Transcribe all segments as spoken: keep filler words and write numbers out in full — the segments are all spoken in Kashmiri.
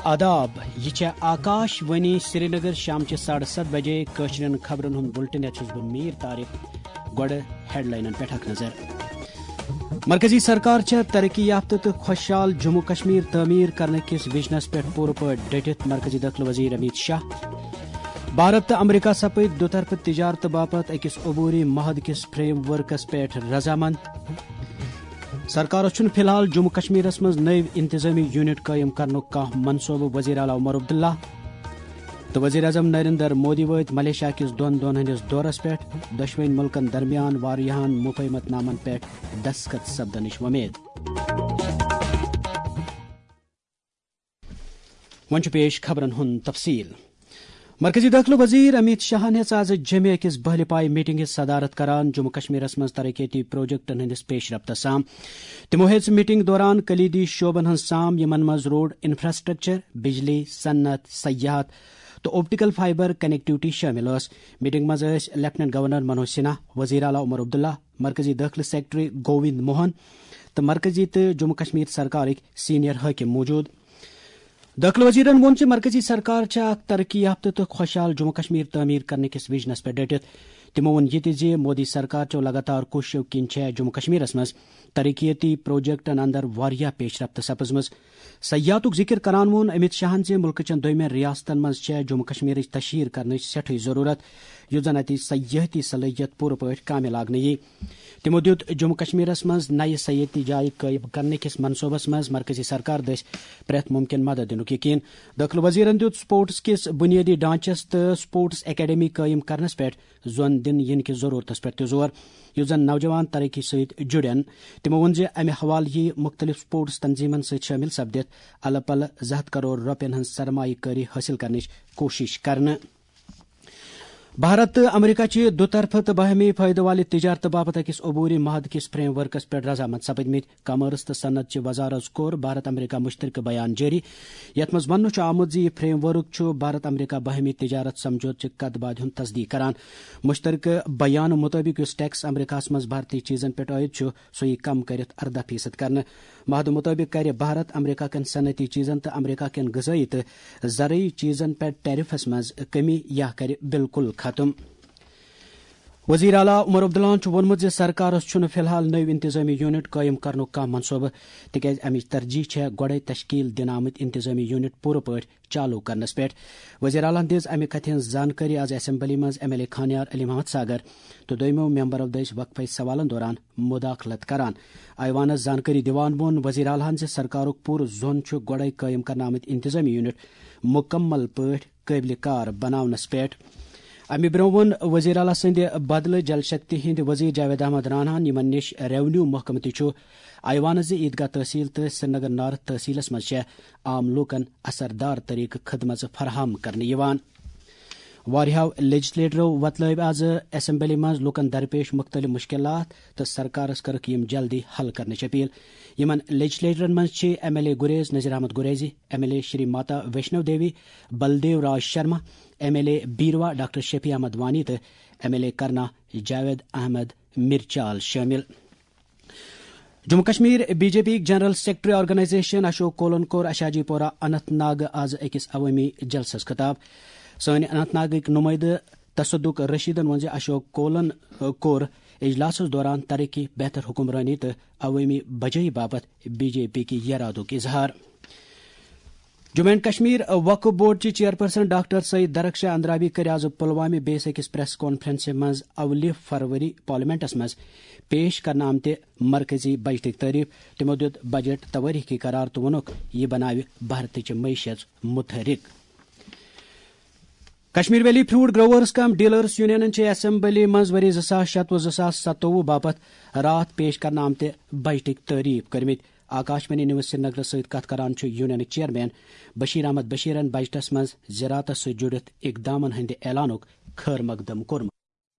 آداب، یہِ چھےٚ آکاش وانی سرینگر۔ شامچہِ ساڑٕ ستھ بجے کٲشرٮ۪ن خبرن ہُنٛد بُلٹن۔ یتھ چھُس بہٕ میٖر طارق۔ گۄڈٕ ہیڈلاینن پٮ۪ٹھ اکھ نظر۔ مرکزی سرکار چھےٚ ترقی یافتہٕ تہٕ خۄشحال جموں کشمیر تعمیٖر کرنہٕ کِس وژنس پٮ۪ٹھ پوٗرٕ پٲٹھۍ ڈٔٹِتھ، مرکزی دٲخلہٕ وزیر امیت شاہ۔ بھارت تہٕ امریکہ سپٕدۍ دُطرفہٕ تجارتہٕ باپتھ أکِس عبوری معاہدٕ کِس فریم ورکس پٮ۪ٹھ رضامند۔ سرکارس چھُنہٕ فی الحال جموں کشمیرس منٛز نٔوۍ انتظامی یونٹ قٲیِم کرنُک کانٛہہ منصوبہٕ، وزیر اعلیٰ عمر عبداللہ۔ تہٕ وزیر اعظم نریندر مودی وٲتۍ ملیشیا کِس دۄن دۄہن ہٕنٛدِس دورس پٮ۪ٹھ۔ دۄشوٕنۍ مُلکن درمیان واریاہن مفاہمت نامن پٮ۪ٹھ دستخط سپدنٕچ وۄمید۔ وۄنۍ چھُ پیش خبرن ہُنٛد تفصیل۔ مرکزی دٲخلہٕ وزیر امیت شاہن ہیٚژ آز جمعہ أکِس بہلہِ پایہِ میٹنگ ہٕنٛز صدارت کران، جموں کشمیرس منٛز ترقیتی پروجیکٹن ہٕنٛدِس پیش رفتس سام۔ تِمو ہیٚژ میٹنگ دوران کلیدی شعبن ہٕنٛز سام، یِمن منٛز روڈ انفراسٹرکچر، بجلی، صنعت، سیاحت تہٕ آپٹیکل فائبر کنیکٹیوٹی شٲمِل ٲس۔ میٹنگ منٛز ٲسۍ لیفٹیننٹ گورنر منوج سنہا، وزیر اعلیٰ عمر عبداللہ، مرکزی دٲخلہٕ سیکرٹری گووند موہن تہٕ مرکزی تہٕ جموں کشمیر سرکارٕکۍ سینئر حٲکم موجود۔ دٲخلہٕ وزیرن ووٚن زِ مرکزی سرکار چھےٚ اکھ ترقی یافتہٕ تہٕ خۄشحال جموں کشمیر تعمیٖر کرنہٕ کِس وژنس پٮ۪ٹھ ڈٔٹِتھ۔ تِمو ووٚن یہِ تہِ زِ مودی سرکار چٮ۪و لگاتار کوٗششو کِنۍ چھےٚ جموں کشمیرس منٛز ترقیتی پروجیکٹن اندر واریاہ پیش رفت سپٕزمٕژ۔ سیاحتُک ذِکِر کران ووٚن امیت شاہن زِ مُلکہٕ چٮ۪ن دوٚیمٮ۪ن ریاستن منٛز چھےٚ جموں کشمیرٕچ تشہیر کرنٕچ سٮ۪ٹھٕے ضروٗرت، یُتھ زن اتِچ سیاحتی صلٲحیت پوٗرٕ پٲٹھۍ کامہِ لاگنہٕ یِیہِ۔ تِمو دِیُت جموں کشمیرس منٛز نَیہِ سیٲحتی جایہِ قٲیِم کرنہٕ کِس منصوبس منٛز مرکزی سرکار دٔسۍ پرٛٮ۪تھ مُمکِن مدد دِنُک یقین۔ دٲخلہٕ وزیرن دِیُت سپورٹس کِس بُنیٲدی ڈھانچس تہٕ سپورٹس اکیڈمی قٲیِم کرنس پٮ۪ٹھ زۄن دِنہٕ یِنہٕ کِس ضروٗرتس پٮ۪ٹھ تہِ زور، یُس زن نوجوان ترقی سۭتۍ جُڑن۔ تِمو ووٚن زِ امہِ حوالہٕ یِیہِ مُختٔلِف سپورٹس تنظیمن سۭتۍ شٲمِل سپدِتھ الہٕ پلہٕ زٕ ہتھ کرور رۄپین ہٕنٛز سرمایہ کٲری حٲصِل کرنٕچ کوٗشش کرنہٕ۔ بھارت تہٕ امریکہ چھِ دُطرفہٕ تہٕ باہمی فٲیدٕ والہِ تجارتہٕ باپتھ أکِس عبوری معاہدٕ کِس فریم ورکس پٮ۪ٹھ رضامند سپٕدمٕتۍ۔ کامرس تہٕ صنعت چہِ وزارت کوٚر بھارت امریکہ مشترکہٕ بیان جٲری، یتھ منٛز وننہٕ چھُ آمُت زِ یہِ فریم ورک چھُ بھارت امریکہ باہمی تجارت سمجھوتہٕ چہِ کتھ باتھِ ہُنٛد تصدیق کران۔ مشترکہٕ بیانہٕ مُطٲبِق، یُس ٹیکس امریکہس منٛز بھارتی چیزن پٮ۪ٹھ عائد چھُ، سُہ یِیہِ کم کٔرِتھ ارداہ فیصد کرنہٕ۔ معاہدٕ مُطٲبِق کرِ بھارت امریکہ کٮ۪ن صنعتی چیزن تہٕ امریکہ کٮ۪ن غذٲیی تہٕ زرعی چیزن پٮ۪ٹھ ٹیرفس منٛز کمی یا کرِ بالکل ختم۔ وزیر اعلیٰ عمر عبداللہن چھُ ووٚنمُت زِ سرکارس چھُنہٕ فی الحال نٔوۍ انتظامی یونٹ قٲیِم کرنُک کانٛہہ منصوبہٕ، تِکیازِ امِچ ترجیح چھےٚ گۄڈے تشکیل دِنہٕ آمٕتۍ انتظامی یونٹ پوٗرٕ پٲٹھۍ چالو کرنس پٮ۪ٹھ۔ وزیر اعلیٰ ہن دِژ امہِ کتھِ ہٕنٛز زانکٲری آز اسمبلی منٛز M L A Khanyar Ali Mohammad Sagar تہٕ دوٚیمو ممبرو دٔسۍ وقفے سوالن دوران مداخلت کران۔ ایوانس زانکٲری دِوان ووٚن وزیر اعلیٰ ہن زِ سرکارُک پوٗرٕ زون چھُ گۄڈے قٲیِم کرنہٕ آمٕتۍ انتظامی یونٹ مکمل پٲٹھۍ قٲبلِ کار بناونس پٮ۪ٹھ۔ امہِ برٛونٛہہ ووٚن وزیر اعلیٰ سٕنٛدِ بدلہٕ جل شکتی ہٕنٛدۍ وزیر جاوید احمد راناہن، یِمن نِش ریونیو محکمہٕ تہِ چھُ، ایوانس زِ عیدگاہ تحصیل تہٕ سرینگر نارتھ تحصیلس منٛز چھےٚ عام لوٗکن اثردار طریقہٕ خدمژٕ فراہم کرنہٕ یِوان۔ واریاہو لیجسلیٹرو وۄتلٲوۍ آز اسمبلی منٛز لوٗکن درپیش مُختٔلِف مُشکِلات تہٕ سرکارس کٔرٕکھ یِم جلدی حل کرنٕچ اپیل۔ یِمن لیجسلیٹرن منٛز چھِ M L A Gurez Nazir Ahmad Gurezi, M L A Shri Mata Vaishno Devi, Baldev Raj Sharma, M L A Beerwah doctor Shafi Ahmad Wani تہٕ M L A Karnah Javed Ahmad Mirchal شٲمِل۔ Jammu Kashmir B J P یِکۍ جنرل سیکرٹری آرگنائزیشن اشوک کولن کوٚر اشاجی پورہ اننت ناگ آز أکِس عوٲمی جلسس خطاب۔ سٲنۍ اننت ناگٕکۍ نُمٲیدٕ تصدق رشیدن ووٚن زِ اشوک کولن، آ، کوٚر اجلاسس دوران ترقی، بہتر حکمرٲنی تہٕ عوٲمی بجٲیی باپتھ بی جے پی کہِ یرادُک اظہار۔ جموں اینڈ کشمیر وقف بورڈ چہِ چیئرپرسن ڈاکٹر سعید درخشاہ اندرابی کٔر آز پلوامہ بیس أکِس پریس کانفرنسہِ منٛز اولہِ فروری پارلیمنٹس منٛز پیش کرنہٕ آمتہِ مرکزی بجٹٕچ تعریف۔ تِمو دِیُت بجٹ توٲریخی قرار تہٕ ووٚنُکھ، یہِ بناوِ بھارتٕچ معیشت متحرک۔ کشمیر ویلی فروٹ گروورز کم ڈیلرز یونینن چھِ اسمبلی منٛز ؤری زٕ ساس شتوُہ زٕ ساس ستووُہ باپتھ راتھ پیش کرنہٕ آمتہِ بجٹٕکۍ تعریف کٔرمٕتۍ۔ آکاش وانی نیوز سرینگرس سۭتۍ کتھ کران چھُ یونینٕکۍ چیئرمین بشیر احمد بشیرن بجٹس منٛز زراعتس سۭتۍ جُڑِتھ اقدامن ہٕنٛدِ اعلانُک خیر مقدم کوٚرمُت۔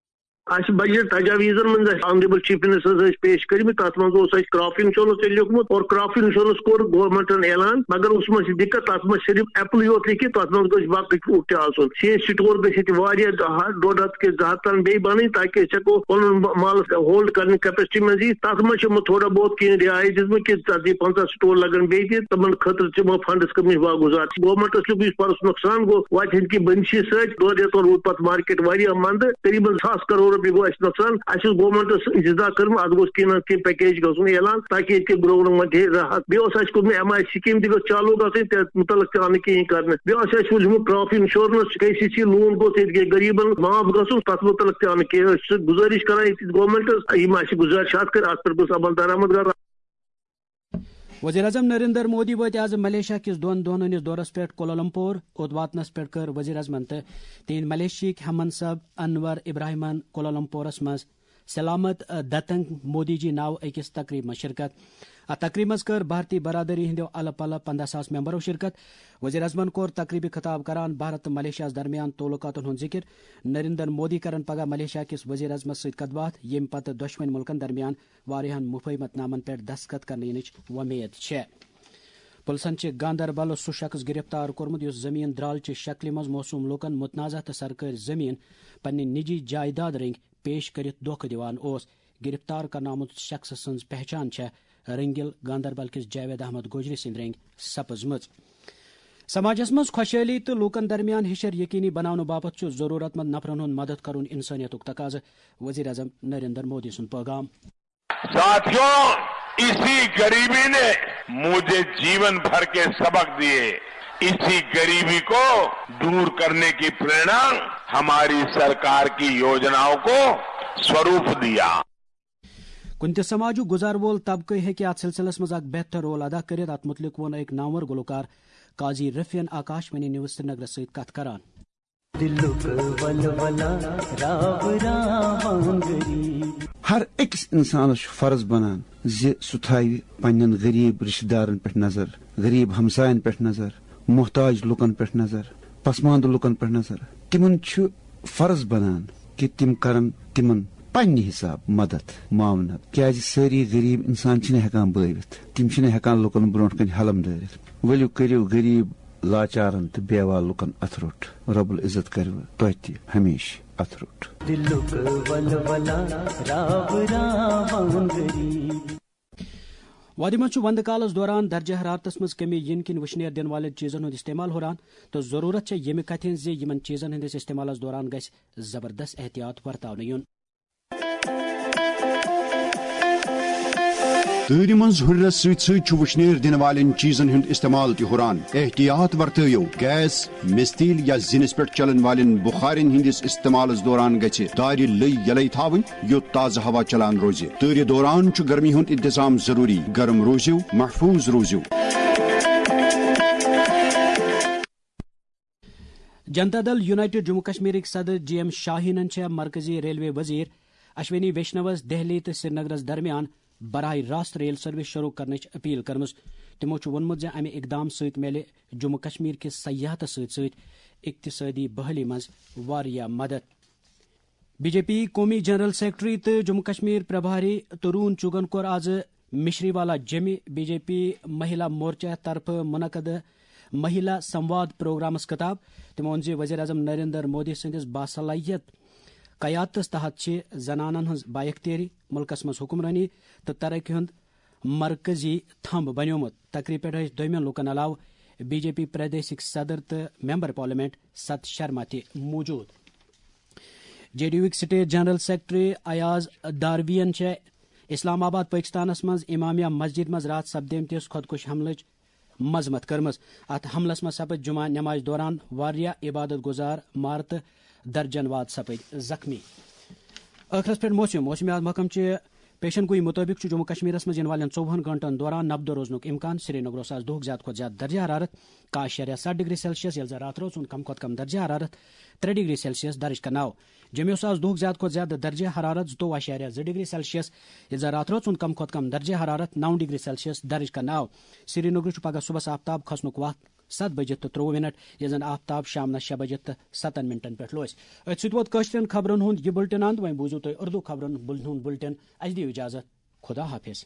اَسہِ بجٹ تجاویزن منٛز اَسہِ آنریبل چیف منسٹرس ٲسۍ پیش کٔرمٕتۍ، تَتھ منٛز اوس اَسہِ کراپ انشورنس تہِ لیوٚکھمُت اور کراپ انشورنس کوٚر گورنمنٹن اعلان، مگر اوس منٛز چھِ دِقت، تَتھ منٛز صرف ایپلٕے یوت لیکھِتھ، تَتھ منٛز گٔژھ باقٕے فروٗٹ تہِ آسُن۔ سیج سٹور گٔژھ ییٚتہِ واریاہ ہتھ، ڈۄڈ ہتھ کہِ زٕ ہتھ تام بیٚیہِ بنٕنۍ، تاکہِ أسۍ ہٮ۪کو پنُن مال ہولڈ کرنہٕ کیپیسٹی منٛز یِتھ۔ تَتھ منٛز چھِ یِمو تھوڑا بہت کینٛہہ رعایت دِژمٕژ کہِ ژتجی پنٛژاہ سٹور لگن بیٚیہِ تہِ، تِمن خٲطرٕ چھِ یِمو فنڈس کٔرمٕتۍ واگُزار۔ گورنمنٹس چھُ یُس پرُس نۄقصان گوٚو، وتہِ ہٕنٛدۍ کہِ بٔنۍ چھِ سۭتۍ دۄن رٮ۪تن روٗد پتہٕ مارکیٹ واریاہ مندٕ، تقریباً ساس کرور رۄپیہِ گوٚو اَسہِ نۄقصان۔ اَسہِ اوس گورنمنٹس اجتماع کٔرمٕژ، اتھ گوٚژھ کینٛہہ نتہٕ کینٛہہ پیکیج گژھُن اعلان، تاکہِ ییٚتہِ کہِ گروہن منٛز دِیہِ راحت۔ بیٚیہِ اوس اَسہِ کوٚرمُت ایم آی سکیٖم تہِ گٔژھ چالو گژھٕنۍ، تَتھ مُتعلق تہِ آو نہٕ کِہیٖنۍ کرنہٕ۔ بیٚیہِ اوس اَسہِ وُنیُک کراپ انشورنس، کے سی سی لون گوٚژھ ییٚتہِ کہِ غریبن معاف گژھُن، تَتھ مُتعلق تہِ آو نہٕ کِہیٖنۍ۔ أسۍ چھِ گُزٲرِش کران ییٚتہِ گورنمنٹس، یِم اَسہِ گُزٲرِشات کٔرۍ، اَتھ پٮ۪ٹھ گوٚژھ عمل درآمد کرُن۔ وزیر اعظم نریندر مودی وٲتۍ آز ملیشیا کِس دۄن دۄہن ہٕنٛدِس دورس پٮ۪ٹھ کولالمپور۔ اوٚت واتنس پٮ۪ٹھ کٔر وزیر اعظمن تہٕ تِہنٛدۍ ملیشیاہٕکۍ ہم منصب انور ابراہیمن کولالمپورس منٛز سلامت دتنگ مودی جی ناوٕ أکِس تقریبہِ منٛز شرکت۔ اتھ تقریبہِ منٛز کٔر بھارتی برادری ہٕنٛدیو الہٕ پلہٕ پنٛداہ ساس ممبرو شرکت۔ وزیر اعظمن کوٚر تقریبہِ خطاب کران بھارت تہٕ ملیشیاہس درمیان تعلقاتن ہُنٛد ذکر۔ نریندر مودی کرن پگاہ ملیشیا کِس وزیر اعظمس سۭتۍ کتھ باتھ، ییٚمہِ پتہٕ دۄشوٕنۍ مُلکن درمیان واریاہن مفاہمت نامن پٮ۪ٹھ دستخط کرنہٕ یِنٕچ وۄمید چھےٚ۔ پُلسن چھِ گاندربلُک سُہ شخص گرفتار کوٚرمُت، یُس زٔمیٖن درٛالچہِ شکلہِ منٛز موصوٗم لوٗکن متنازعہ تہٕ سرکٲرۍ زٔمیٖن پننہِ نجی جائیداد رٔنگۍ پیش کٔرِتھ دھوکہٕ دِوان اوس۔ گرفتار کرنہٕ آمُت شخص سٕنٛز پہچان چھےٚ رٔنگِل گاندربل کِس جاوید احمد گوجری سٕنٛدۍ رٔنگۍ سپٕزمٕژ۔ سماجس منٛز خۄشحٲلی تہٕ لوٗکن درمیان ہِشر یقینی بناونہٕ باپتھ چھُ ضروٗرت مند نفرن ہُنٛد مدد کرُن انسٲنیتُک تقاضہٕ، وزیر اعظم نریندر مودی سُنٛد پٲغام۔ ساتھیو، اسی غریبی نے مجھے जीवन भर के सबक दिए। इसी गरीबी को दूर करने की प्रेरणा हमारी सरकार की योजनाओं को स्वरूप दिया। کُنہِ تہِ سماجُک گُزار وول طبقہٕ ہیٚکہِ اتھ سلسلس منٛز اکھ بہتر رول ادا کٔرِتھ۔ اتھ مُتعلق ووٚن أکۍ نامور گلوکار قاضی رفیعن آکاش وانی نیوز سرینگرس سۭتۍ کتھ کران۔ دِلُک ولولہ راو راوان غریب۔ ہر أکِس اِنسانَس چھُ فرض بنان زِ سُہ تھاوِ پننٮ۪ن غریب رشتہٕ دارن پٮ۪ٹھ نظر، غریب ہمساین پٮ۪ٹھ نظر، محتاج لُکن پٮ۪ٹھ نظر، پسماندٕ لُکن پٮ۪ٹھ نظر۔ تِمن چھُ فرض بنان کہِ تِم کرن تِمن پننہِ حساب مدد، معاونت، کیازِ سٲری غریب انسان چھِنہٕ ہٮ۪کان بٲوِتھ، تِم چھِنہٕ ہٮ۪کان لُکن برونٛٹھ کنہِ حلم دٲرِتھ۔ ؤلِو کٔرِو غریب لاچارن تہٕ بیوہ لُکن اتھٕ روٚٹ۔ رب العزت کرِوٕ تۄہہِ تہِ ہمیشہٕ اتھٕ روٚٹ۔ دِلُک ولولہ راو راوان غریب۔ وادی منٛز چھُ وندٕ کالس دوران درجہ حرارتس منٛز کمی یِنہٕ کِنۍ وُشنیر دِنہٕ والٮ۪ن چیٖزن ہُنٛد استعمال ہُران، تہٕ ضروٗرت چھےٚ ییٚمہِ کتھِ ہٕنٛز زِ یِمن چیٖزن ہٕنٛدِس استعمالس دوران گژھِ زبردست احتیاط ورتاونہٕ یُن۔ تۭرِ منٛز ہُرنس سۭتۍ سۭتۍ چھُ وُشنیر دِنہٕ والٮ۪ن چیٖزن ہُنٛد استعمال تہِ ہُران۔ احتیاط ورتٲیِو، گیس، مِستِلۍ یا زِنِس پٮ۪ٹھ چلن والٮ۪ن بُخارٮ۪ن ہٕنٛدِس استعمالس دوران گژھِ دارِ لٔۍ یلے تھاوٕنۍ، یوٚت تازٕ ہوا چلان روزِ۔ تۭرِ دوران چھُ گرمی ہُنٛد انتظام ضروٗری۔ گرم روٗزِو، محفوٗظ روٗزِو۔ جنتا دل یونائیٹڈ جموں کشمیرٕکۍ صدر جی ایم شاہینن چھےٚ مرکزی ریلوے وزیر اشونی ویشنوس دہلی تہٕ سرینگرس درمیان براہ راست ریل سروس شروع کرنٕچ اپیل کٔرمٕژ۔ تِمو چھُ ووٚنمُت زِ امہِ اقدام سۭتۍ میلہِ جموں کشمیر کِس سیاحتس سۭتۍ سۭتۍ اقتصٲدی بحالی منٛز واریاہ مدد۔ بی جے پی قومی جنرل سیکرٹری تہٕ جموں کشمیر پربھاری ترون چُگن کوٚر آز مشری والا جیٚمہِ بی جے پی مہیلا مورچہ طرفہٕ منعقد مہیلا سمواد پروگرامس خطاب۔ تٔمۍ ووٚن زِ وزیر اعظم نریندر مودی سٕنٛدِس باصلاحیت قیادتس تحت چھِ زنانن ہٕنٛز بااختیٲری، ملکس منٛز حکمرٲنی تہٕ ترقی ہُنٛد مرکزی تھمب بنیومُت۔ تقریب پٮ۪ٹھ ٲسۍ دوٚیمٮ۪ن لوٗکن علاوٕ بی جے پی پردیشٕکۍ صدر تہٕ ممبر پارلیمنٹ ست شرما تہِ موجود۔ جے ڈی یوٕکۍ سٹیٹ جنرل سیکرٹری ایاز داروین چھےٚ اسلام آباد، پٲکستانس منٛز امامیہ مسجد منٛز راتھ سپدیمتِس خۄدکُش حملٕچ مذمت کٔرمٕژ۔ اتھ حملس منٛز سپٕدۍ جمعہ نمازِ دوران واریاہ عبادت گزار مارٕ تہٕ درجن واد سپٕدۍ زخمی۔ ٲخرس پٮ۪ٹھ موسم۔ موسمیات محکمہٕ چہِ پیشن گوئی مُطٲبِق چھُ جموں کشمیرس منٛز یِنہٕ والٮ۪ن ژوٚوُہن گھنٹن دوران نبدٕ روزنُک امکان۔ سرینگرس آز دُہُک زیادٕ کھۄتہٕ زیادٕ درجہ حرارت کاہ اعشاریہ ستھ ڈگری سیلسیس، ییٚلہِ زن راتھ رٲژ ہُنٛد کم کھۄتہٕ کم درجہ حرارت ترٛےٚ ڈگری سیلسیس درج کرنہٕ آو۔ جوٚمیُس آز دُہُک زیادٕ کھۄتہٕ زیادٕ درجہ حرارت زٕتووُہ اعشاریہ زٕ ڈگری سیلسیس، ییٚلہِ زن راتھ رٲژ ہُنٛد کم کھۄتہٕ کم درجہ حرارت نو ڈگری سیلسیس درج کرنہٕ آو۔ سرینگرٕ چھُ پگہہ صُبحس آفتاب کھسنُک وق ستھ بجے تہٕ ترٛۆوُہ منٹ، ییٚلہِ زن آفتاب شامنس شےٚ بجے تہٕ ستن منٹن پٮ۪ٹھ لوسہِ۔ أتھۍ سۭتۍ ووت کٲشرٮ۪ن خبرن ہُنٛد یہِ بُلٹن اند۔ وۄنۍ بوٗزِو تُہۍ اردو خبرن بُل-، ہُنٛد بُلٹن۔ اسہِ دِیِو اجازت۔ خدا حافظ۔